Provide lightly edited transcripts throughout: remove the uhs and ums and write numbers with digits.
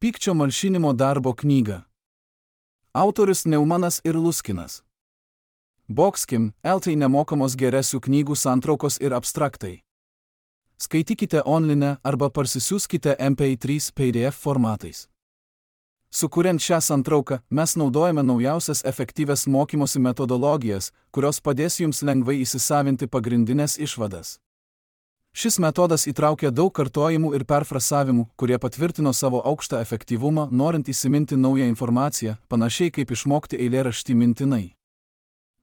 Pykčio malšinimo darbo knyga. Autorius Neumanas ir Luskinas. Boxkim, LT nemokamos geresių knygų santraukos ir abstraktai. Skaitykite online arba parsisiųskite MP3 PDF formatais. Sukuriant šią santrauką, mes naudojame naujausias efektyvias mokymosi metodologijas, kurios padės jums lengvai įsisavinti pagrindinės išvadas. Šis metodas įtraukia daug kartojimų ir perfrasavimų, kurie patvirtino savo aukštą efektyvumą, norint įsiminti naują informaciją, panašiai kaip išmokti eilėraštį mintinai.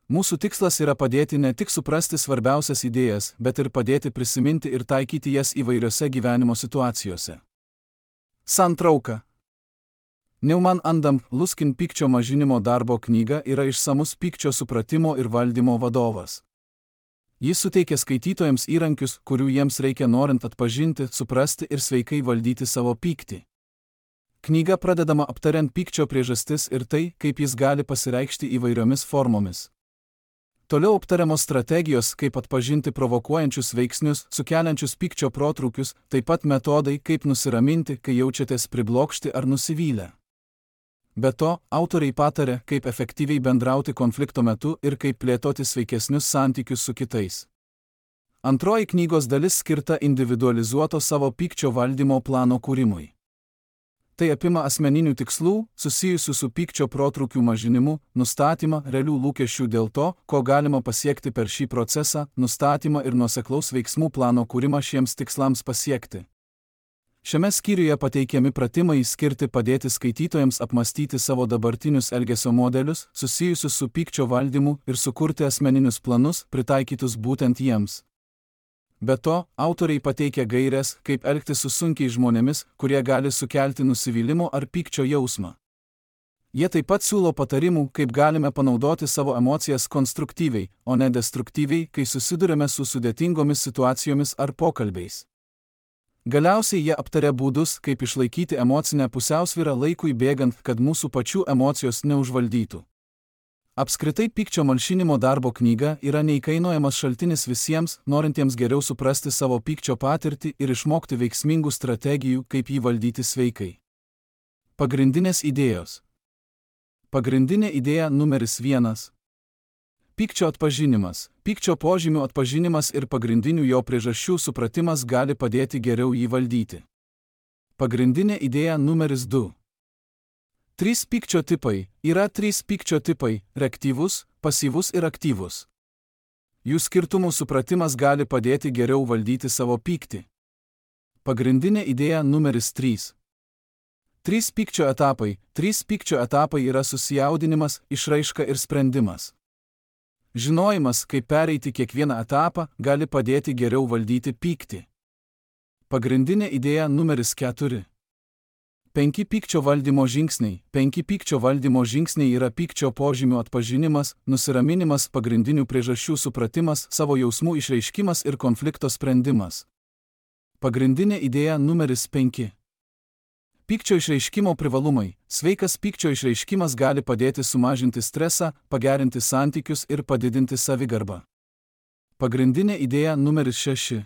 Mūsų tikslas yra padėti ne tik suprasti svarbiausias idėjas, bet ir padėti prisiminti ir taikyti jas įvairiose gyvenimo situacijose. Santrauka. Neumann and Luskin pykčio mažinimo darbo knyga yra išsamus pykčio supratimo ir valdymo vadovas. Jis suteikia skaitytojams įrankius, kurių jiems reikia norint atpažinti, suprasti ir sveikai valdyti savo pyktį. Knyga pradedama aptariant pykčio priežastis ir tai, kaip jis gali pasireikšti įvairiomis formomis. Toliau aptariamos strategijos, kaip atpažinti provokuojančius veiksnius, sukeliančius pykčio protrūkius, taip pat metodai, kaip nusiraminti, kai jaučiatės priblokšti ar nusivylę. Be to, autoriai patarė, kaip efektyviai bendrauti konflikto metu ir kaip plėtoti sveikesnius santykius su kitais. Antroji knygos dalis skirta individualizuoto savo pykčio valdymo plano kūrimui. Tai apima asmeninių tikslų, susijusių su pykčio protrūkių mažinimu, nustatymą realių lūkesčių dėl to, ko galima pasiekti per šį procesą, nustatymą ir nuoseklaus veiksmų plano kūrimą šiems tikslams pasiekti. Šiame skyriuje pateikiami pratimai skirti padėti skaitytojams apmastyti savo dabartinius elgesio modelius, susijusius su pykčio valdymu ir sukurti asmeninius planus, pritaikytus būtent jiems. Be to, autoriai pateikia gaires, kaip elgtis su sunkiai žmonėmis, kurie gali sukelti nusivylimo ar pykčio jausmą. Jie taip pat siūlo patarimų, kaip galime panaudoti savo emocijas konstruktyviai, o ne destruktyviai, kai susidurime su sudėtingomis situacijomis ar pokalbiais. Galiausiai jie aptaria būdus, kaip išlaikyti emocinę pusiausvyrą laikui bėgant, kad mūsų pačių emocijos neužvaldytų. Apskritai pykčio malšinimo darbo knyga yra neįkainojamas šaltinis visiems, norintiems geriau suprasti savo pykčio patirtį ir išmokti veiksmingų strategijų, kaip jį valdyti sveikai. Pagrindinės idėjos. Pagrindinė idėja numeris 1. Pykčio atpažinimas. Pykčio požymių atpažinimas ir pagrindinių jo priežasčių supratimas gali padėti geriau jį valdyti. Pagrindinė idėja numeris 2. 3 pykčio tipai. Yra 3 pykčio tipai – reaktyvus, pasyvus ir aktyvus. Jų skirtumų supratimas gali padėti geriau valdyti savo pyktį. Pagrindinė idėja numeris 3. 3 pykčio etapai. 3 pykčio etapai yra susijaudinimas, išraiška ir sprendimas. Žinojimas, kaip pereiti kiekvieną etapą, gali padėti geriau valdyti pyktį. Pagrindinė idėja numeris 4. 5 pykčio valdymo žingsniai. 5 pykčio valdymo žingsniai yra pykčio požymių atpažinimas, nusiraminimas, pagrindinių priežasčių supratimas, savo jausmų išreiškimas ir konflikto sprendimas. Pagrindinė idėja numeris 5. Pykčio išreiškimo privalumai. Sveikas pykčio išreiškimas gali padėti sumažinti stresą, pagerinti santykius ir padidinti savigarbą. Pagrindinė idėja numeris 6.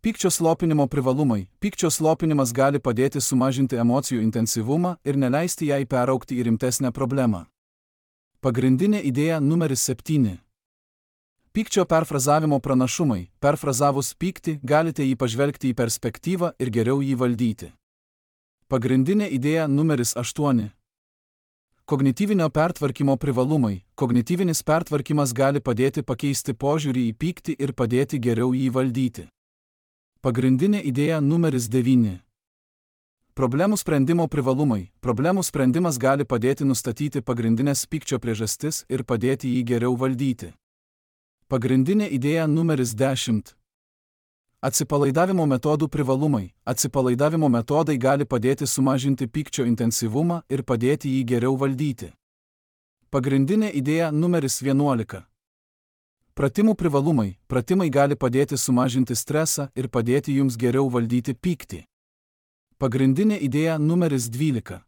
Pykčio slopinimo privalumai. Pykčio slopinimas gali padėti sumažinti emocijų intensyvumą ir neleisti jai peraugti į rimtesnę problemą. Pagrindinė idėja numeris 7. Pykčio perfrazavimo pranašumai. Perfrazavus pyktį, galite jį pažvelgti į perspektyvą ir geriau jį valdyti. Pagrindinė idėja numeris 8. Kognityvinio pertvarkymo privalumai. Kognityvinis pertvarkymas gali padėti pakeisti požiūrį į pyktį ir padėti geriau jį valdyti. Pagrindinė idėja numeris 9. Problemų sprendimo privalumai. Problemų sprendimas gali padėti nustatyti pagrindinės pykčio priežastis ir padėti jį geriau valdyti. Pagrindinė idėja numeris 10. Atsipalaidavimo metodų privalumai. Atsipalaidavimo metodai gali padėti sumažinti pykčio intensyvumą ir padėti jį geriau valdyti. Pagrindinė idėja numeris 11. Pratimų privalumai. Pratimai gali padėti sumažinti stresą ir padėti jums geriau valdyti pyktį. Pagrindinė idėja numeris 12.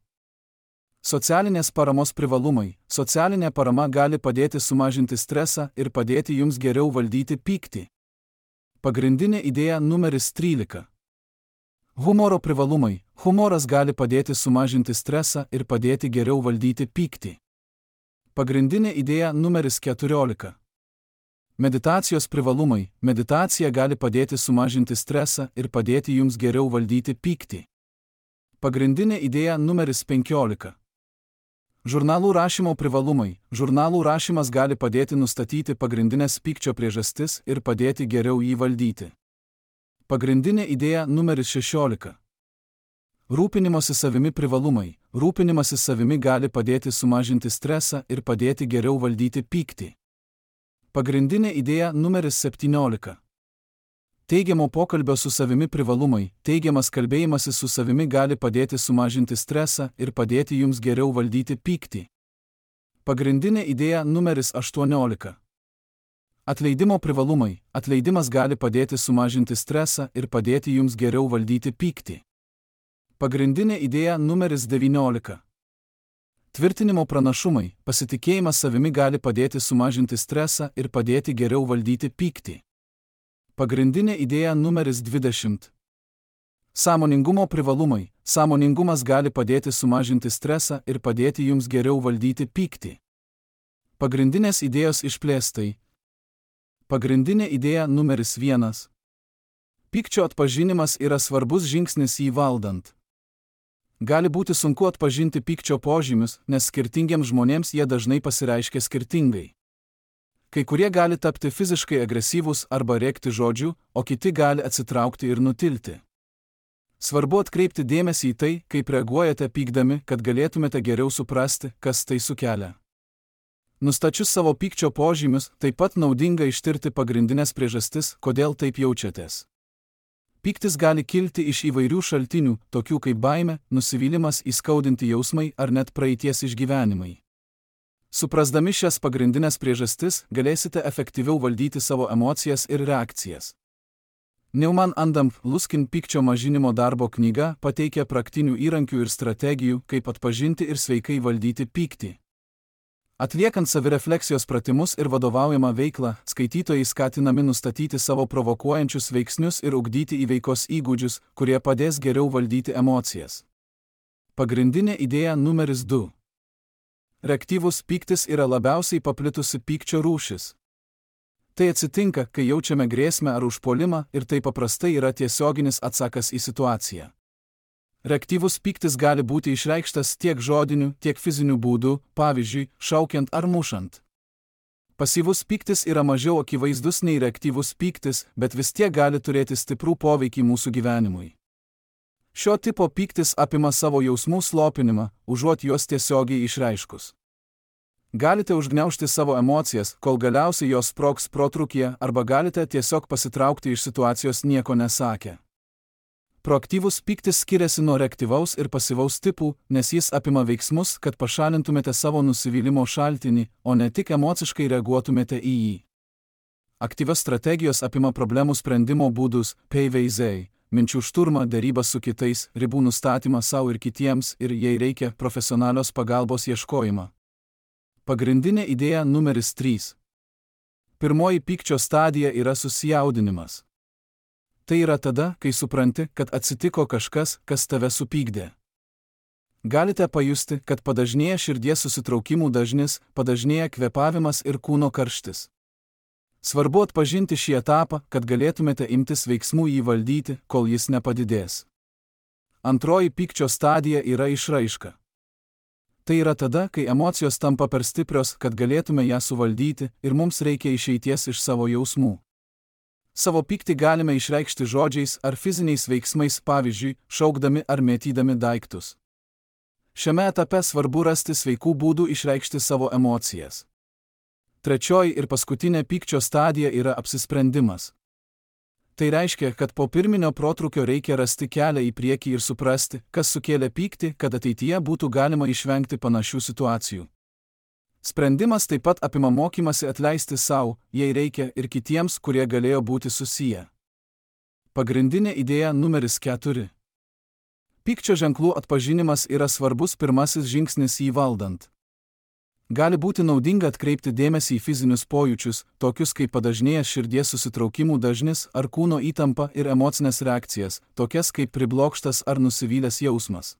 Socialinės paramos privalumai. Socialinė parama gali padėti sumažinti stresą ir padėti jums geriau valdyti pyktį. Pagrindinė idėja numeris 13. Humoro privalumai. Humoras gali padėti sumažinti stresą ir padėti geriau valdyti pyktį. Pagrindinė idėja numeris 14. Meditacijos privalumai. Meditacija gali padėti sumažinti stresą ir padėti jums geriau valdyti pyktį. Pagrindinė idėja numeris 15. Žurnalų rašymo privalumai. Žurnalų rašymas gali padėti nustatyti pagrindinės pykčio priežastis ir padėti geriau jį valdyti. Pagrindinė idėja numeris 16. Rūpinimosi savimi privalumai. Rūpinimasis savimi gali padėti sumažinti stresą ir padėti geriau valdyti pyktį. Pagrindinė idėja numeris 17. Teigiamo pokalbio su savimi privalumai. Teigiamas kalbėjimasis su savimi gali padėti sumažinti stresą ir padėti jums geriau valdyti pyktį. Pagrindinė idėja numeris 18. Atleidimo privalumai. Atleidimas gali padėti sumažinti stresą ir padėti jums geriau valdyti pyktį. Pagrindinė idėja numeris 19. Tvirtinimo pranašumai. Pasitikėjimas savimi gali padėti sumažinti stresą ir padėti geriau valdyti pyktį. Pagrindinė idėja numeris 20. Sąmoningumo privalumai. Sąmoningumas gali padėti sumažinti stresą ir padėti jums geriau valdyti pyktį. Pagrindinės idėjos išplėstai. Pagrindinė idėja numeris 1. Pykčio atpažinimas yra svarbus žingsnis jį valdant. Gali būti sunku atpažinti pykčio požymius, nes skirtingiems žmonėms jie dažnai pasireiškia skirtingai. Kai kurie gali tapti fiziškai agresyvūs arba rėkti žodžių, o kiti gali atsitraukti ir nutilti. Svarbu atkreipti dėmesį į tai, kaip reaguojate pykdami, kad galėtumėte geriau suprasti, kas tai sukelia. Nustačius savo pykčio požymius, taip pat naudinga ištirti pagrindinės priežastis, kodėl taip jaučiatės. Pyktis gali kilti iš įvairių šaltinių, tokių kaip baimė, nusivylimas, įskaudinti jausmai ar net praeities išgyvenimai. Suprasdami šias pagrindinės priežastis, galėsite efektyviau valdyti savo emocijas ir reakcijas. Neumann and Luskin pykčio mažinimo darbo knyga pateikia praktinių įrankių ir strategijų, kaip atpažinti ir sveikai valdyti pyktį. Atliekant savirefleksijos pratimus ir vadovaujamą veiklą, skaitytojai skatinami nustatyti savo provokuojančius veiksnius ir ugdyti įveikos įgūdžius, kurie padės geriau valdyti emocijas. Pagrindinė idėja numeris 2. Reaktyvus pyktis yra labiausiai paplitusi pykčio rūšis. Tai atsitinka, kai jaučiame grėsmę ar užpuolimą ir tai paprastai yra tiesioginis atsakas į situaciją. Reaktyvus pyktis gali būti išreikštas tiek žodiniu, tiek fiziniu būdu, pavyzdžiui, šaukiant ar mušant. Pasyvus pyktis yra mažiau akivaizdus nei reaktyvus pyktis, bet vis tiek gali turėti stiprų poveikį mūsų gyvenimui. Šio tipo pyktis apima savo jausmų slopinimą, užuot juos tiesiogiai išreiškus. Galite užgniaužti savo emocijas, kol galiausiai jos sprogs protrūkyje, arba galite tiesiog pasitraukti iš situacijos nieko nesakę. Proaktyvus pyktis skiriasi nuo reaktyvaus ir pasyvaus tipų, nes jis apima veiksmus, kad pašalintumėte savo nusivylimo šaltinį, o ne tik emociškai reaguotumėte į jį. Aktyvios strategijos apima problemų sprendimo būdus, PVZ, minčių šturmą, derybas su kitais, ribų nustatymą savo ir kitiems ir, jei reikia, profesionalios pagalbos ieškojimą. Pagrindinė idėja numeris 3. Pirmoji pykčio stadija yra susijaudinimas. Tai yra tada, kai supranti, kad atsitiko kažkas, kas tave supykdė. Galite pajusti, kad padažnėja širdies susitraukimų dažnis, padažnėja kvėpavimas ir kūno karštis. Svarbu atpažinti šį etapą, kad galėtumėte imtis veiksmų jį valdyti, kol jis nepadidės. Antroji pykčio stadija yra išraiška. Tai yra tada, kai emocijos tampa per stiprios, kad galėtume ją suvaldyti ir mums reikia išeities iš savo jausmų. Savo pyktį galime išreikšti žodžiais ar fiziniais veiksmais, pavyzdžiui, šaukdami ar mėtydami daiktus. Šiame etape svarbu rasti sveikų būdų išreikšti savo emocijas. Trečioji ir paskutinė pykčio stadija yra apsisprendimas. Tai reiškia, kad po pirminio protrūkio reikia rasti kelią į priekį ir suprasti, kas sukėlė pyktį, kad ateityje būtų galima išvengti panašių situacijų. Sprendimas taip pat apima mokymasi atleisti savo, jei reikia, ir kitiems, kurie galėjo būti susiję. Pagrindinė idėja numeris 4. Pykčio ženklų atpažinimas yra svarbus pirmasis žingsnis jį valdant. Gali būti naudinga atkreipti dėmesį į fizinius pojūčius, tokius kaip padažnėjęs širdies susitraukimų dažnis ar kūno įtampa ir emocinės reakcijas, tokias kaip priblokštas ar nusivylęs jausmas.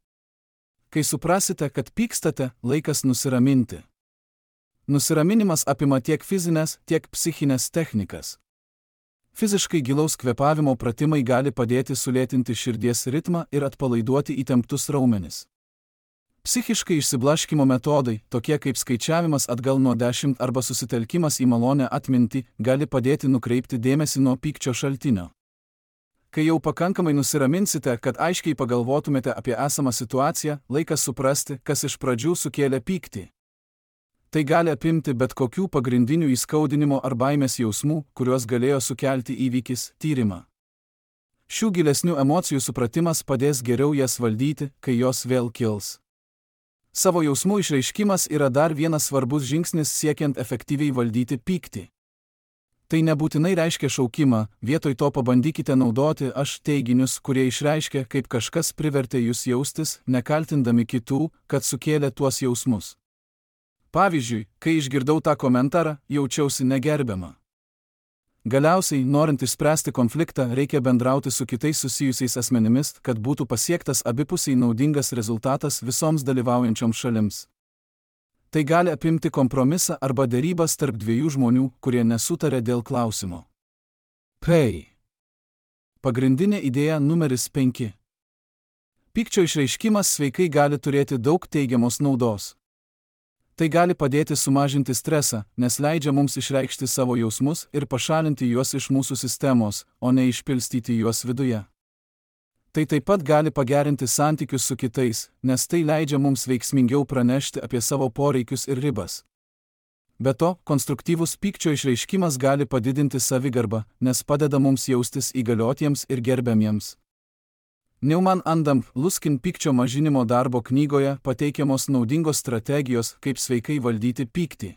Kai suprasite, kad pykstate, laikas nusiraminti. Nusiraminimas apima tiek fizinės, tiek psichinės technikas. Fiziškai gilaus kvėpavimo pratimai gali padėti sulėtinti širdies ritmą ir atpalaiduoti įtemptus raumenis. Psichiškai išsiblaškymo metodai, tokie kaip skaičiavimas atgal nuo 10 arba susitelkimas į malonę atmintį, gali padėti nukreipti dėmesį nuo pykčio šaltinio. Kai jau pakankamai nusiraminsite, kad aiškiai pagalvotumėte apie esamą situaciją, laikas suprasti, kas iš pradžių sukėlė pyktį. Tai gali apimti bet kokių pagrindinių įskaudinimo ar baimės jausmų, kuriuos galėjo sukelti įvykis, tyrimą. Šių gilesnių emocijų supratimas padės geriau jas valdyti, kai jos vėl kils. Savo jausmų išreiškimas yra dar vienas svarbus žingsnis siekiant efektyviai valdyti pyktį. Tai nebūtinai reiškia šaukimą, vietoj to pabandykite naudoti aš teiginius, kurie išreiškia, kaip kažkas privertė jūs jaustis, nekaltindami kitų, kad sukėlė tuos jausmus. Pavyzdžiui, kai išgirdau tą komentarą, jaučiausi negerbiama. Galiausiai, norint išspręsti konfliktą, reikia bendrauti su kitais susijusiais asmenimis, kad būtų pasiektas abipusiai naudingas rezultatas visoms dalyvaujančioms šalims. Tai gali apimti kompromisą arba derybas tarp dviejų žmonių, kurie nesutarė dėl klausimo. Pagrindinė idėja numeris 5. Pykčio išreiškimas sveikai gali turėti daug teigiamos naudos. Tai gali padėti sumažinti stresą, nes leidžia mums išreikšti savo jausmus ir pašalinti juos iš mūsų sistemos, o ne išpilstyti juos viduje. Tai taip pat gali pagerinti santykius su kitais, nes tai leidžia mums veiksmingiau pranešti apie savo poreikius ir ribas. Be to, konstruktyvus pykčio išreiškimas gali padidinti savigarbą, nes padeda mums jaustis įgaliotiems ir gerbiamiems. Neumann and Luskin pykčio mažinimo darbo knygoje pateikiamos naudingos strategijos, kaip sveikai valdyti pyktį.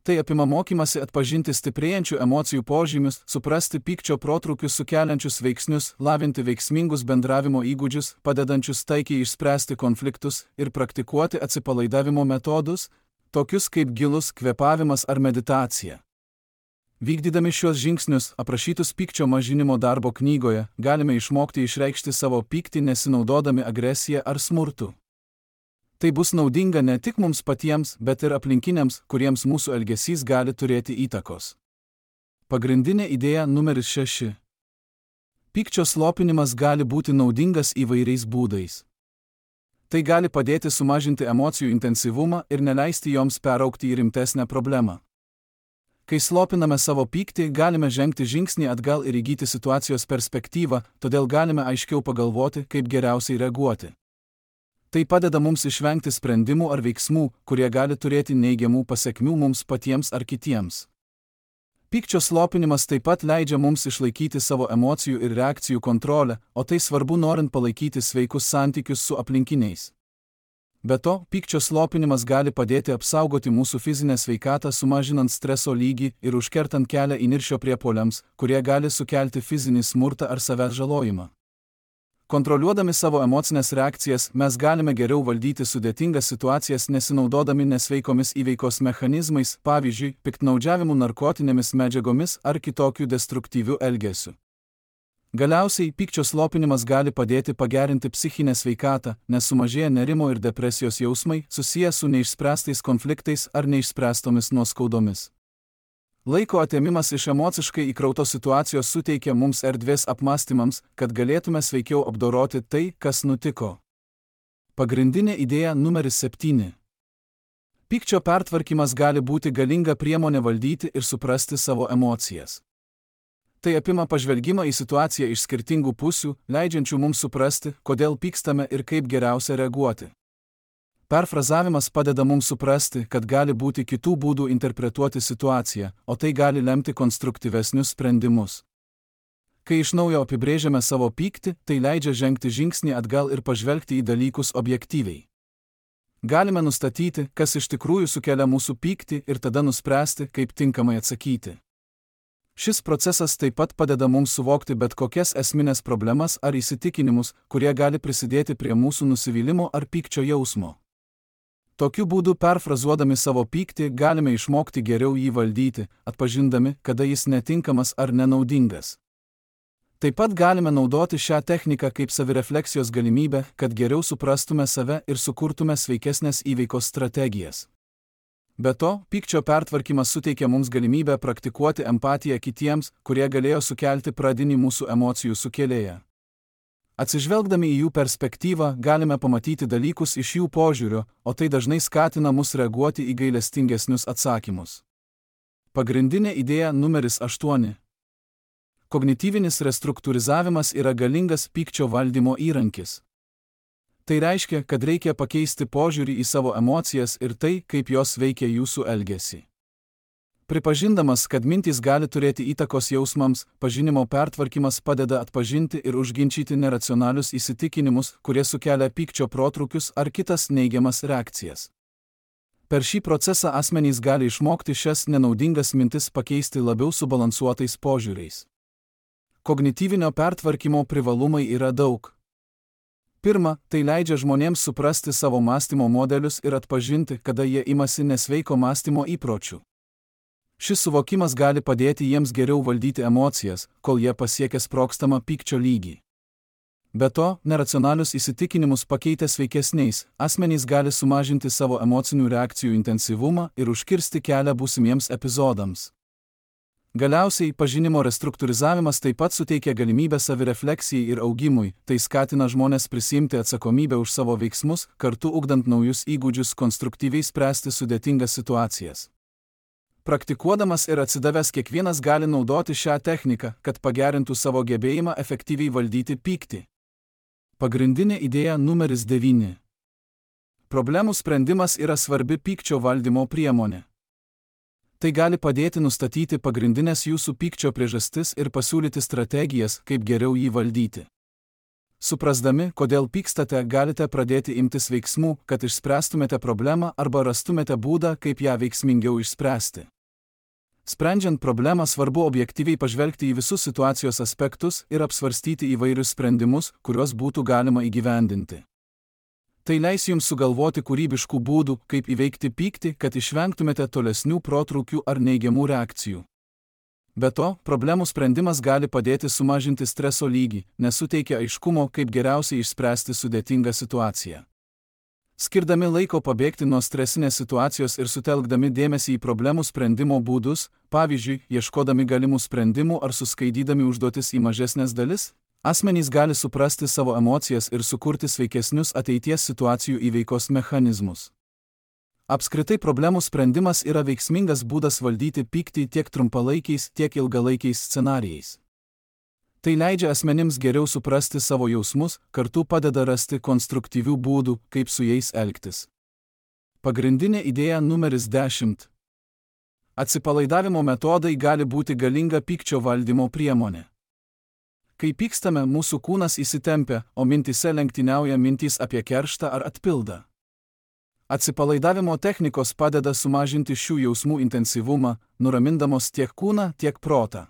Tai apima mokymasi atpažinti stiprėjančių emocijų požymius, suprasti pykčio protrūkius sukeliančius veiksnius, lavinti veiksmingus bendravimo įgūdžius, padedančius taikiai išspręsti konfliktus ir praktikuoti atsipalaidavimo metodus, tokius kaip gilus kvėpavimas ar meditacija. Vykdydami šios žingsnius, aprašytus pykčio mažinimo darbo knygoje, galime išmokti išreikšti savo pyktį nesinaudodami agresiją ar smurtu. Tai bus naudinga ne tik mums patiems, bet ir aplinkiniams, kuriems mūsų elgesys gali turėti įtakos. Pagrindinė idėja numeris 6. Pykčio slopinimas gali būti naudingas įvairiais būdais. Tai gali padėti sumažinti emocijų intensyvumą ir neleisti joms peraugti į rimtesnę problemą. Kai slopiname savo pyktį, galime žengti žingsnį atgal ir įgyti situacijos perspektyvą, todėl galime aiškiau pagalvoti, kaip geriausiai reaguoti. Tai padeda mums išvengti sprendimų ar veiksmų, kurie gali turėti neigiamų pasekmių mums patiems ar kitiems. Pykčio slopinimas taip pat leidžia mums išlaikyti savo emocijų ir reakcijų kontrolę, o tai svarbu norint palaikyti sveikus santykius su aplinkiniais. Be to, pykčio slopinimas gali padėti apsaugoti mūsų fizinę sveikatą, sumažinant streso lygį ir užkertant kelią įniršio priepuoliams, kurie gali sukelti fizinį smurtą ar savęs žalojimą. Kontroliuodami savo emocinės reakcijas, mes galime geriau valdyti sudėtingas situacijas nesinaudodami nesveikomis įveikos mechanizmais, pavyzdžiui, piktnaudžiavimu narkotinėmis medžiagomis ar kitokiu destruktyviu elgesiu. Galiausiai, pykčio slopinimas gali padėti pagerinti psichinę sveikatą, nes sumažėja nerimo ir depresijos jausmai, susiję su neišspręstais konfliktais ar neišspręstomis nuoskaudomis. Laiko atėmimas iš emociškai įkrautos situacijos suteikia mums erdvės apmąstymams, kad galėtume sveikiau apdoroti tai, kas nutiko. Pagrindinė idėja numeris 7. Pykčio pertvarkymas gali būti galinga priemonė valdyti ir suprasti savo emocijas. Tai apima pažvelgimą į situaciją iš skirtingų pusių, leidžiančių mums suprasti, kodėl pykstame ir kaip geriausia reaguoti. Perfrazavimas padeda mums suprasti, kad gali būti kitų būdų interpretuoti situaciją, o tai gali lemti konstruktyvesnius sprendimus. Kai iš naujo apibrėžiame savo pyktį, tai leidžia žengti žingsnį atgal ir pažvelgti į dalykus objektyviai. Galime nustatyti, kas iš tikrųjų sukelia mūsų pyktį ir tada nuspręsti, kaip tinkamai atsakyti. Šis procesas taip pat padeda mums suvokti bet kokias esminės problemas ar įsitikinimus, kurie gali prisidėti prie mūsų nusivylimo ar pykčio jausmo. Tokiu būdu perfrazuodami savo pyktį galime išmokti geriau jį valdyti, atpažindami, kada jis netinkamas ar nenaudingas. Taip pat galime naudoti šią techniką kaip savirefleksijos galimybę, kad geriau suprastume save ir sukurtume sveikesnės įveikos strategijas. Be to, pykčio pertvarkymas suteikia mums galimybę praktikuoti empatiją kitiems, kurie galėjo sukelti pradinį mūsų emocijų sukėlėją. Atsižvelgdami į jų perspektyvą, galime pamatyti dalykus iš jų požiūrio, o tai dažnai skatina mus reaguoti į gailestingesnius atsakymus. Pagrindinė idėja numeris 8. Kognityvinis restruktūrizavimas yra galingas pykčio valdymo įrankis. Tai reiškia, kad reikia pakeisti požiūrį į savo emocijas ir tai, kaip jos veikia jūsų elgesį. Pripažindamas, kad mintys gali turėti įtakos jausmams, pažinimo pertvarkymas padeda atpažinti ir užginčyti neracionalius įsitikinimus, kurie sukelia pykčio protrūkius ar kitas neigiamas reakcijas. Per šį procesą asmenys gali išmokti šias nenaudingas mintis pakeisti labiau subalansuotais požiūriais. Kognityvinio pertvarkymo privalumai yra daug. Pirma, tai leidžia žmonėms suprasti savo mąstymo modelius ir atpažinti, kada jie imasi nesveiko mąstymo įpročių. Šis suvokimas gali padėti jiems geriau valdyti emocijas, kol jie pasiekia sprogstamą pykčio lygį. Be to, neracionalius įsitikinimus pakeitę sveikesniais, asmenys gali sumažinti savo emocinių reakcijų intensyvumą ir užkirsti kelią būsimiems epizodams. Galiausiai, pažinimo restruktūrizavimas taip pat suteikia galimybę savirefleksijai ir augimui, tai skatina žmones prisiimti atsakomybę už savo veiksmus, kartu ugdant naujus įgūdžius konstruktyviai spręsti sudėtingas situacijas. Praktikuodamas ir atsidavęs kiekvienas gali naudoti šią techniką, kad pagerintų savo gebėjimą efektyviai valdyti pyktį. Pagrindinė idėja numeris 9. Problemų sprendimas yra svarbi pykčio valdymo priemonė. Tai gali padėti nustatyti pagrindinės jūsų pykčio priežastis ir pasiūlyti strategijas, kaip geriau jį valdyti. Suprasdami, kodėl pykstate, galite pradėti imtis veiksmų, kad išspręstumėte problemą arba rastumėte būdą, kaip ją veiksmingiau išspręsti. Sprendžiant problemą svarbu objektyviai pažvelgti į visus situacijos aspektus ir apsvarstyti įvairius sprendimus, kuriuos būtų galima įgyvendinti. Tai leis jums sugalvoti kūrybiškų būdų, kaip įveikti pyktį, kad išvengtumėte tolesnių protrūkių ar neigiamų reakcijų. Be to, problemų sprendimas gali padėti sumažinti streso lygį, nes suteikia aiškumo, kaip geriausiai išspręsti sudėtingą situaciją. Skirdami laiko pabėgti nuo stresinės situacijos ir sutelkdami dėmesį į problemų sprendimo būdus, pavyzdžiui, ieškodami galimų sprendimų ar suskaidydami užduotis į mažesnės dalis, asmenys gali suprasti savo emocijas ir sukurti sveikesnius ateities situacijų įveikos mechanizmus. Apskritai problemų sprendimas yra veiksmingas būdas valdyti pyktį tiek trumpalaikiais, tiek ilgalaikiais scenarijais. Tai leidžia asmenims geriau suprasti savo jausmus, kartu padeda rasti konstruktyvių būdų, kaip su jais elgtis. Pagrindinė idėja numeris 10. Atsipalaidavimo metodai gali būti galinga pykčio valdymo priemonė. Kai pykstame, mūsų kūnas įsitempia, o mintyse lenktyniauja mintys apie kerštą ar atpildą. Atsipalaidavimo technikos padeda sumažinti šių jausmų intensyvumą, nuramindamos tiek kūną, tiek protą.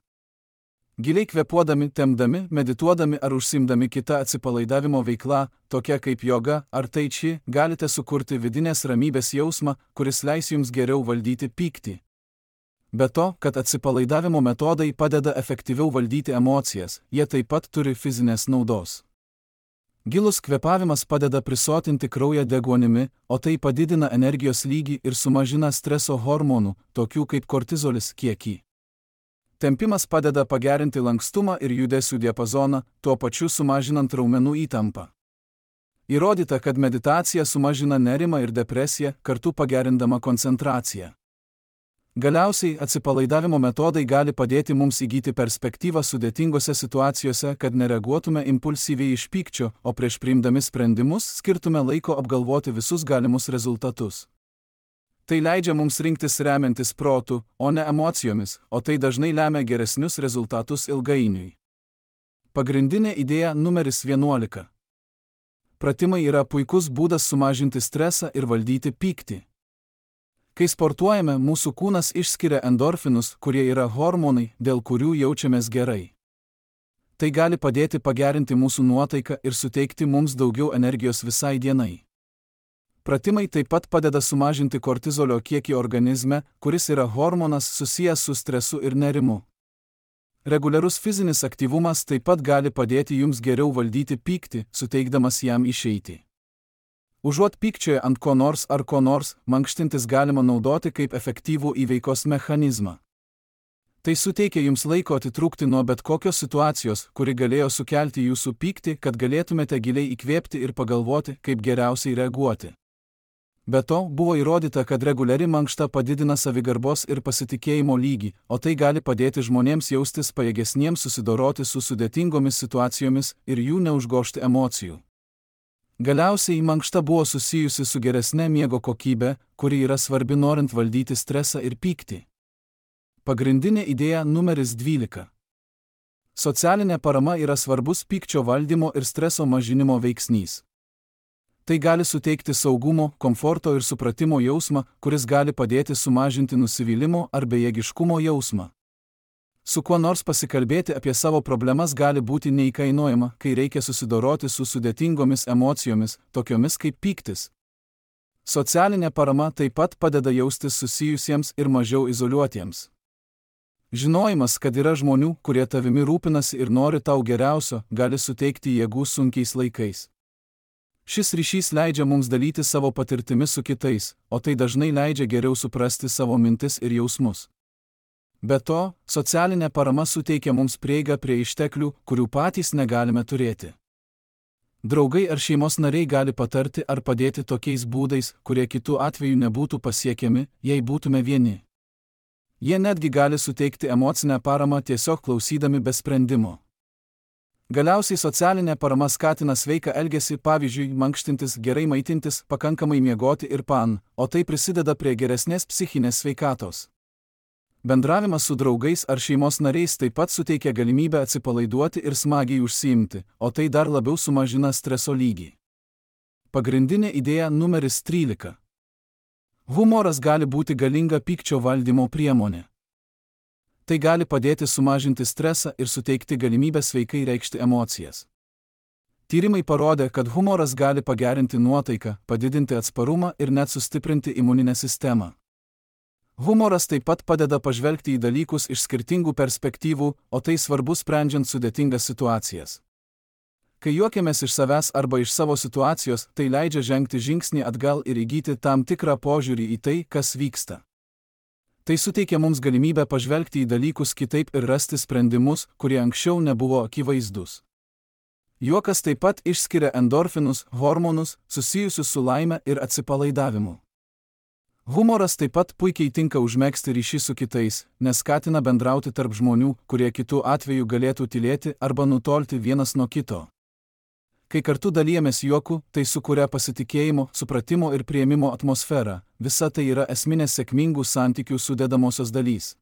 Giliai kvėpuodami, tempdami, medituodami ar užsiimdami kitą atsipalaidavimo veiklą, tokia kaip joga ar tai či, galite sukurti vidinės ramybės jausmą, kuris leis jums geriau valdyti pyktį. Be to, kad atsipalaidavimo metodai padeda efektyviau valdyti emocijas, jie taip pat turi fizinės naudos. Gilus kvėpavimas padeda prisotinti kraują deguonimi, o tai padidina energijos lygį ir sumažina streso hormonų, tokių kaip kortizolis, kiekį. Tempimas padeda pagerinti lankstumą ir judesių diapazoną, tuo pačiu sumažinant raumenų įtampą. Įrodyta, kad meditacija sumažina nerimą ir depresiją, kartu pagerindama koncentraciją. Galiausiai, atsipalaidavimo metodai gali padėti mums įgyti perspektyvą sudėtingose situacijose, kad nereaguotume impulsyviai iš pykčio, o prieš priimdami sprendimus skirtume laiko apgalvoti visus galimus rezultatus. Tai leidžia mums rinktis remiantis protu, o ne emocijomis, o tai dažnai lemia geresnius rezultatus ilgainiui. Pagrindinė idėja numeris 11. Pratimai yra puikus būdas sumažinti stresą ir valdyti pyktį. Kai sportuojame, mūsų kūnas išskiria endorfinus, kurie yra hormonai, dėl kurių jaučiamės gerai. Tai gali padėti pagerinti mūsų nuotaiką ir suteikti mums daugiau energijos visai dienai. Pratimai taip pat padeda sumažinti kortizolio kiekį organizme, kuris yra hormonas susijęs su stresu ir nerimu. Reguliarus fizinis aktyvumas taip pat gali padėti jums geriau valdyti pyktį, suteikdamas jam išeitį. Užuot pykčioje ant ko nors ar ko nors, mankštintis galima naudoti kaip efektyvų įveikos mechanizmą. Tai suteikia jums laiko atitrūkti nuo bet kokios situacijos, kuri galėjo sukelti jūsų pyktį, kad galėtumėte giliai įkvėpti ir pagalvoti, kaip geriausiai reaguoti. Be to, buvo įrodyta, kad reguliari mankšta padidina savigarbos ir pasitikėjimo lygį, o tai gali padėti žmonėms jaustis pajėgesniems susidoroti su sudėtingomis situacijomis ir jų neužgožti emocijų. Galiausiai mankšta buvo susijusi su geresne miego kokybe, kuri yra svarbi norint valdyti stresą ir pyktį. Pagrindinė idėja numeris 12. Socialinė parama yra svarbus pykčio valdymo ir streso mažinimo veiksnys. Tai gali suteikti saugumo, komforto ir supratimo jausmą, kuris gali padėti sumažinti nusivylimo ar bejėgiškumo jausmą. Su kuo nors pasikalbėti apie savo problemas gali būti neįkainojama, kai reikia susidoroti su sudėtingomis emocijomis, tokiomis kaip pyktis. Socialinė parama taip pat padeda jaustis susijusiems ir mažiau izoliuotiems. Žinojimas, kad yra žmonių, kurie tavimi rūpinasi ir nori tau geriausio, gali suteikti jėgų sunkiais laikais. Šis ryšys leidžia mums dalyti savo patirtimi su kitais, o tai dažnai leidžia geriau suprasti savo mintis ir jausmus. Be to, socialinė parama suteikia mums prieigą prie išteklių, kurių patys negalime turėti. Draugai ar šeimos nariai gali patarti ar padėti tokiais būdais, kurie kitų atveju nebūtų pasiekiami, jei būtume vieni. Jie netgi gali suteikti emocinę paramą tiesiog klausydami be sprendimo. Galiausiai socialinė parama skatina sveiką elgesį, pavyzdžiui, mankštintis, gerai maitintis, pakankamai miegoti ir o tai prisideda prie geresnės psichinės sveikatos. Bendravimas su draugais ar šeimos nariais taip pat suteikia galimybę atsipalaiduoti ir smagiai užsiimti, o tai dar labiau sumažina streso lygį. Pagrindinė idėja numeris 13. Humoras gali būti galinga pykčio valdymo priemonė. Tai gali padėti sumažinti stresą ir suteikti galimybę sveikai reikšti emocijas. Tyrimai parodė, kad humoras gali pagerinti nuotaiką, padidinti atsparumą ir net sustiprinti imuninę sistemą. Humoras taip pat padeda pažvelgti į dalykus iš skirtingų perspektyvų, o tai svarbu sprendžiant sudėtingas situacijas. Kai juokiamės iš savęs arba iš savo situacijos, tai leidžia žengti žingsnį atgal ir įgyti tam tikrą požiūrį į tai, kas vyksta. Tai suteikia mums galimybę pažvelgti į dalykus kitaip ir rasti sprendimus, kurie anksčiau nebuvo akivaizdus. Juokas taip pat išskiria endorfinus, hormonus, susijusius su laime ir atsipalaidavimu. Humoras taip pat puikiai tinka užmegzti ryšį su kitais, nes skatina bendrauti tarp žmonių, kurie kitų atveju galėtų tylėti arba nutolti vienas nuo kito. Kai kartu dalijamės juoku, tai sukuria pasitikėjimo, supratimo ir priėmimo atmosferą. Visa tai yra esminės sėkmingų santykių sudedamosios dalys.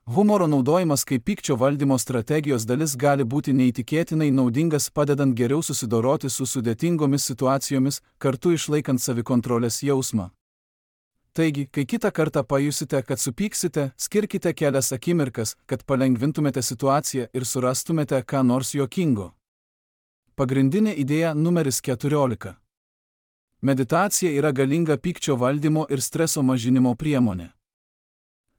Humoro naudojimas kaip pykčio valdymo strategijos dalis gali būti neįtikėtinai naudingas, padedant geriau susidoroti su sudėtingomis situacijomis, kartu išlaikant savikontrolės jausmą. Taigi, kai kitą kartą pajusite, kad supyksite, skirkite kelias akimirkas, kad palengvintumėte situaciją ir surastumėte ką nors juokingo. Pagrindinė idėja numeris 14. Meditacija yra galinga pykčio valdymo ir streso mažinimo priemonė.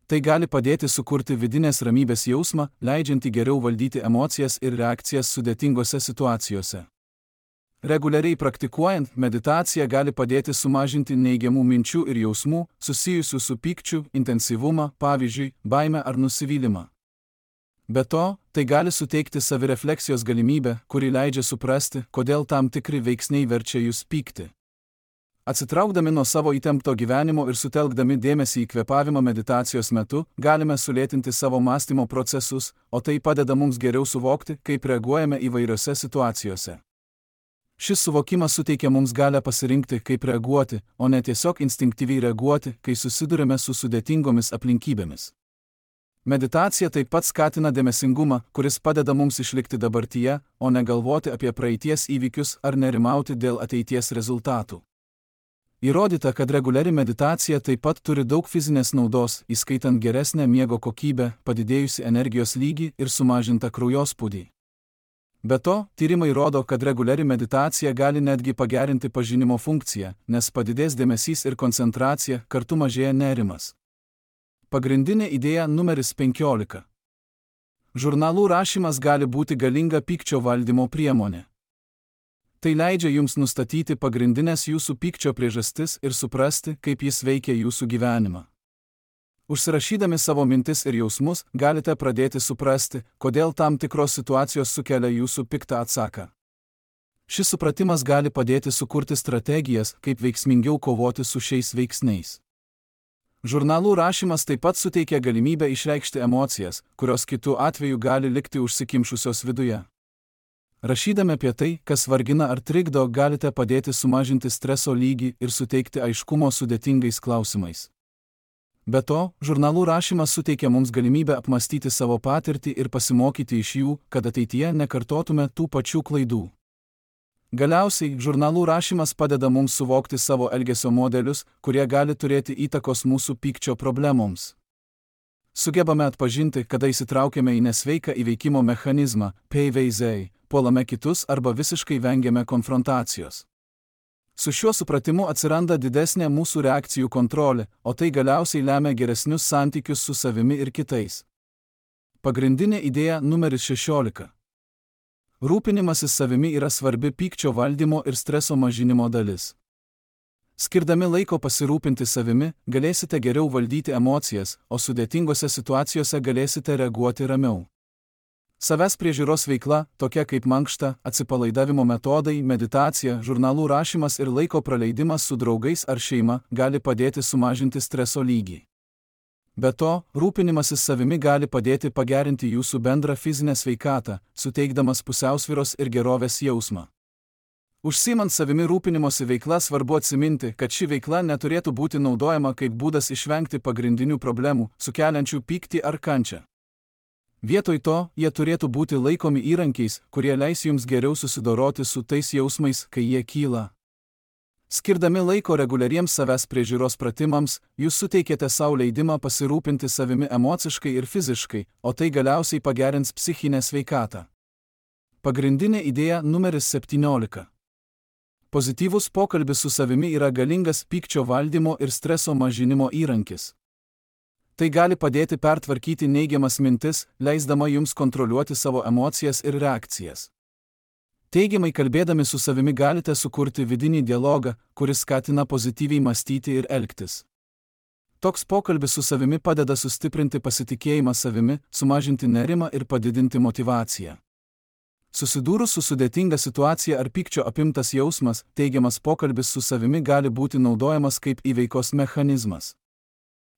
Tai gali padėti sukurti vidinės ramybės jausmą, leidžiantį geriau valdyti emocijas ir reakcijas sudėtingose situacijose. Reguliariai praktikuojant, meditacija gali padėti sumažinti neigiamų minčių ir jausmų, susijusių su pykčiu, intensyvumą, pavyzdžiui, baimę ar nusivylimą. Be to, tai gali suteikti savirefleksijos galimybę, kuri leidžia suprasti, kodėl tam tikri veiksniai verčia jūs pykti. Atsitraukdami nuo savo įtempto gyvenimo ir sutelkdami dėmesį į kvėpavimą meditacijos metu, galime sulėtinti savo mąstymo procesus, o tai padeda mums geriau suvokti, kaip reaguojame įvairiose situacijose. Šis suvokimas suteikia mums galią pasirinkti, kaip reaguoti, o ne tiesiog instinktyviai reaguoti, kai susidurime su sudėtingomis aplinkybėmis. Meditacija taip pat skatina dėmesingumą, kuris padeda mums išlikti dabartyje, o ne galvoti apie praeities įvykius ar nerimauti dėl ateities rezultatų. Įrodyta, kad reguliari meditacija taip pat turi daug fizinės naudos, įskaitant geresnę miego kokybę, padidėjusi energijos lygį ir sumažintą kraujospūdį. Be to, tyrimai rodo, kad reguliari meditacija gali netgi pagerinti pažinimo funkciją, nes padidės dėmesys ir koncentracija, kartu mažėja nerimas. Pagrindinė idėja numeris 15. Žurnalų rašymas gali būti galinga pykčio valdymo priemonė. Tai leidžia jums nustatyti pagrindinės jūsų pykčio priežastis ir suprasti, kaip jis veikia jūsų gyvenimą. Užsirašydami savo mintis ir jausmus, galite pradėti suprasti, kodėl tam tikros situacijos sukelia jūsų piktą atsaką. Šis supratimas gali padėti sukurti strategijas, kaip veiksmingiau kovoti su šiais veiksniais. Žurnalų rašymas taip pat suteikia galimybę išreikšti emocijas, kurios kitu atveju gali likti užsikimšusios viduje. Rašydami apie tai, kas vargina ar trikdo, galite padėti sumažinti streso lygį ir suteikti aiškumo sudėtingais klausimais. Be to, žurnalų rašymas suteikia mums galimybę apmastyti savo patirtį ir pasimokyti iš jų, kad ateityje nekartotume tų pačių klaidų. Galiausiai, žurnalų rašymas padeda mums suvokti savo elgesio modelius, kurie gali turėti įtakos mūsų pykčio problemoms. Sugebame atpažinti, kada įsitraukiame į nesveiką įveikimo mechanizmą, PVZ, puolame kitus arba visiškai vengiame konfrontacijos. Su šiuo supratimu atsiranda didesnė mūsų reakcijų kontrolė, o tai galiausiai lemia geresnius santykius su savimi ir kitais. Pagrindinė idėja numeris 16. Rūpinimasis savimi yra svarbi pykčio valdymo ir streso mažinimo dalis. Skirdami laiko pasirūpinti savimi, galėsite geriau valdyti emocijas, o sudėtingose situacijose galėsite reaguoti ramiau. Savęs priežiūros veikla, tokia kaip mankšta, atsipalaidavimo metodai, meditacija, žurnalų rašymas ir laiko praleidimas su draugais ar šeima, gali padėti sumažinti streso lygį. Be to, rūpinimasis savimi gali padėti pagerinti jūsų bendrą fizinę sveikatą, suteikdamas pusiausvyros ir gerovės jausmą. Užsiimant savimi rūpinimosi veikla svarbu atsiminti, kad ši veikla neturėtų būti naudojama kaip būdas išvengti pagrindinių problemų, sukeliančių pyktį ar kančią. Vietoj to, jie turėtų būti laikomi įrankiais, kurie leis jums geriau susidoroti su tais jausmais, kai jie kyla. Skirdami laiko reguliariems savęs priežiūros pratimams, jūs suteikėte savo leidimą pasirūpinti savimi emociškai ir fiziškai, o tai galiausiai pagerins psichinę sveikatą. Pagrindinė idėja numeris 17. Pozityvus pokalbis su savimi yra galingas pykčio valdymo ir streso mažinimo įrankis. Tai gali padėti pertvarkyti neigiamas mintis, leisdama jums kontroliuoti savo emocijas ir reakcijas. Teigiamai kalbėdami su savimi galite sukurti vidinį dialogą, kuris skatina pozityviai mąstyti ir elgtis. Toks pokalbis su savimi padeda sustiprinti pasitikėjimą savimi, sumažinti nerimą ir padidinti motyvaciją. Susidūrus su sudėtinga situacija ar pykčio apimtas jausmas, teigiamas pokalbis su savimi gali būti naudojamas kaip įveikos mechanizmas.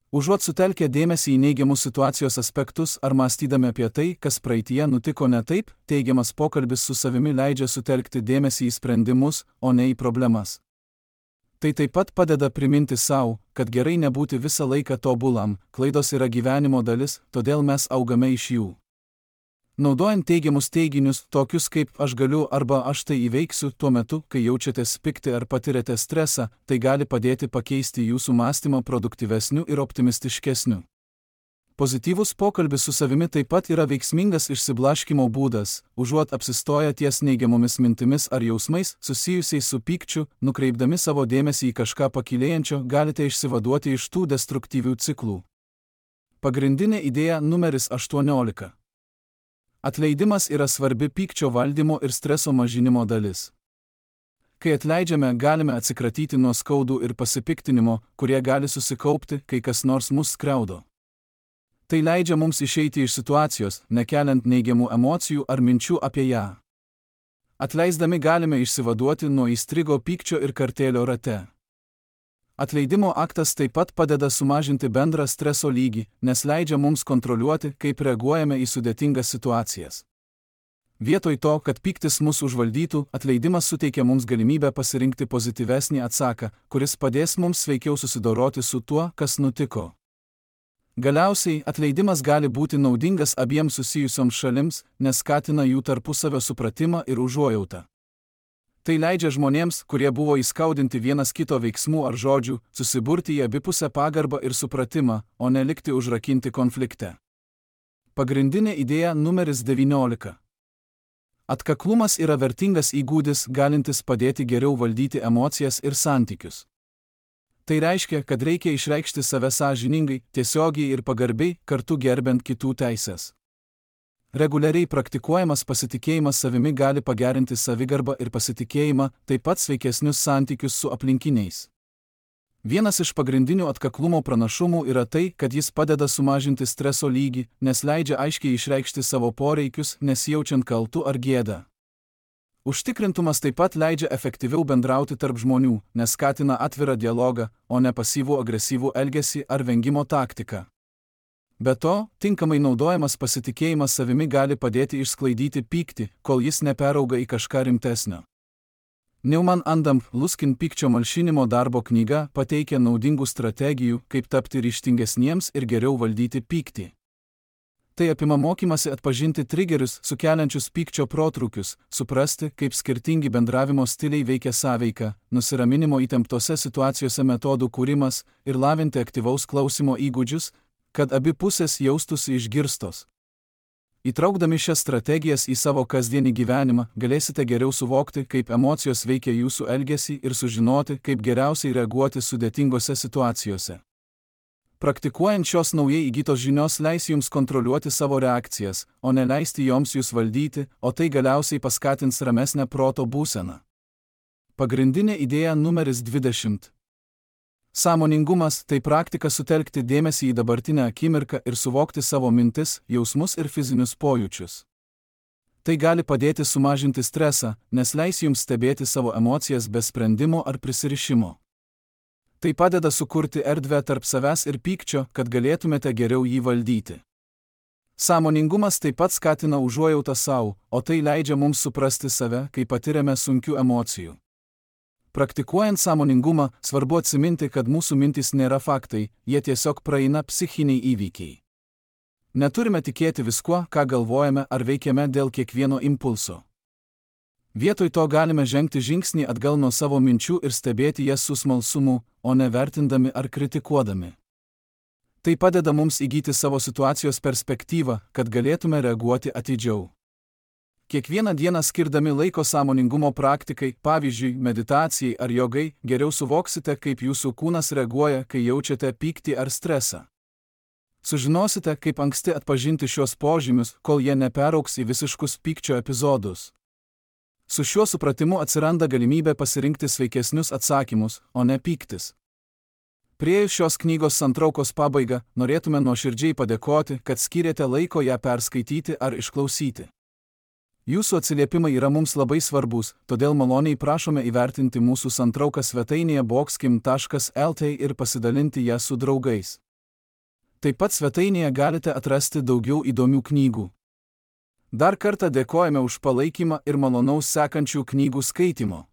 Užuot sutelkę dėmesį į neigiamus situacijos aspektus ar mąstydami apie tai, kas praeityje nutiko ne taip, teigiamas pokalbis su savimi leidžia sutelkti dėmesį į sprendimus, o ne į problemas. Tai taip pat padeda priminti savo, kad gerai nebūti visą laiką tobulam, klaidos yra gyvenimo dalis, todėl mes augame iš jų. Naudojant teigiamus teiginius, tokius kaip aš galiu arba aš tai įveiksiu, tuo metu, kai jaučiatės pikti ar patiriate stresą, tai gali padėti pakeisti jūsų mąstymą produktyvesniu ir optimistiškesniu. Pozityvus pokalbis su savimi taip pat yra veiksmingas išsiblaškymo būdas, užuot apsistoję ties neigiamomis mintimis ar jausmais susijusiais su pykčiu, nukreipdami savo dėmesį į kažką pakylėjančio, galite išsivaduoti iš tų destruktyvių ciklų. Pagrindinė idėja numeris 18. Atleidimas yra svarbi pykčio valdymo ir streso mažinimo dalis. Kai atleidžiame, galime atsikratyti nuo skaudų ir pasipiktinimo, kurie gali susikaupti, kai kas nors mus skriaudo. Tai leidžia mums išeiti iš situacijos, nekeliant neigiamų emocijų ar minčių apie ją. Atleisdami galime išsivaduoti nuo įstrigo pykčio ir kartėlio rate. Atleidimo aktas taip pat padeda sumažinti bendrą streso lygį, nes leidžia mums kontroliuoti, kaip reaguojame į sudėtingas situacijas. Vietoj to, kad pyktis mus užvaldytų, atleidimas suteikia mums galimybę pasirinkti pozityvesnį atsaką, kuris padės mums sveikiau susidoroti su tuo, kas nutiko. Galiausiai, atleidimas gali būti naudingas abiems susijusioms šalims, nes skatina jų tarpusavio supratimą ir užuojautą. Tai leidžia žmonėms, kurie buvo įskaudinti vienas kito veiksmų ar žodžių, susiburti į abipusę pagarbą ir supratimą, o ne likti užrakinti konflikte. Pagrindinė idėja numeris 19. Atkaklumas yra vertingas įgūdis, galintis padėti geriau valdyti emocijas ir santykius. Tai reiškia, kad reikia išreikšti save sąžiningai, tiesiogiai ir pagarbiai, kartu gerbent kitų teises. Reguliariai praktikuojamas pasitikėjimas savimi gali pagerinti savigarbą ir pasitikėjimą, taip pat sveikesnius santykius su aplinkiniais. Vienas iš pagrindinių atkaklumo pranašumų yra tai, kad jis padeda sumažinti streso lygį, nes leidžia aiškiai išreikšti savo poreikius, nesijaučiant kaltu ar gėdą. Užtikrintumas taip pat leidžia efektyviau bendrauti tarp žmonių, nes skatina atvirą dialogą, o ne pasyvų agresyvų elgesį ar vengimo taktiką. Be to, tinkamai naudojamas pasitikėjimas savimi gali padėti išsklaidyti pyktį, kol jis neperauga į kažką rimtesnio. Neumann and Luskin pykčio malšinimo darbo knyga pateikia naudingų strategijų, kaip tapti ryžtingesniems ir geriau valdyti pyktį. Tai apima mokymasi atpažinti trigerius, sukeliančius pykčio protrūkius, suprasti, kaip skirtingi bendravimo stiliai veikia sąveiką, nusiraminimo įtemptose situacijose metodų kūrimas ir lavinti aktyvaus klausimo įgūdžius, kad abi pusės jaustųsi išgirstos. Įtraukdami šias strategijas į savo kasdienį gyvenimą, galėsite geriau suvokti, kaip emocijos veikia jūsų elgesį ir sužinoti, kaip geriausiai reaguoti sudėtingose situacijose. Praktikuojant šios naujai įgytos žinios leis jums kontroliuoti savo reakcijas, o ne leisti joms jūs valdyti, o tai galiausiai paskatins ramesnę proto būseną. Pagrindinė idėja numeris 20. Sąmoningumas – tai praktika sutelkti dėmesį į dabartinę akimirką ir suvokti savo mintis, jausmus ir fizinius pojūčius. Tai gali padėti sumažinti stresą, nes leis jums stebėti savo emocijas be sprendimo ar prisirišimo. Tai padeda sukurti erdvę tarp savęs ir pykčio, kad galėtumėte geriau jį valdyti. Sąmoningumas taip pat skatina užuojautą sau, o tai leidžia mums suprasti save, kai patiriame sunkių emocijų. Praktikuojant sąmoningumą, svarbu atsiminti, kad mūsų mintys nėra faktai, jie tiesiog praeina psichiniai įvykiai. Neturime tikėti viskuo, ką galvojame ar veikiame dėl kiekvieno impulso. Vietoj to galime žengti žingsnį atgal nuo savo minčių ir stebėti jas su smalsumu, o ne vertindami ar kritikuodami. Tai padeda mums įgyti savo situacijos perspektyvą, kad galėtume reaguoti atidžiau. Kiekvieną dieną skirdami laiko sąmoningumo praktikai, pavyzdžiui, meditacijai ar jogai, geriau suvoksite, kaip jūsų kūnas reaguoja, kai jaučiate pyktį ar stresą. Sužinosite, kaip anksti atpažinti šios požymius, kol jie neperaugs į visiškus pykčio epizodus. Su šiuo supratimu atsiranda galimybė pasirinkti sveikesnius atsakymus, o ne pyktis. Priėjus šios knygos santraukos pabaigą, norėtume nuoširdžiai padėkoti, kad skyrėte laiko ją perskaityti ar išklausyti. Jūsų atsiliepimai yra mums labai svarbus, todėl maloniai prašome įvertinti mūsų santrauką svetainėje boxkim.lt ir pasidalinti ją su draugais. Taip pat svetainėje galite atrasti daugiau įdomių knygų. Dar kartą dėkojame už palaikymą ir malonaus sekančių knygų skaitimo.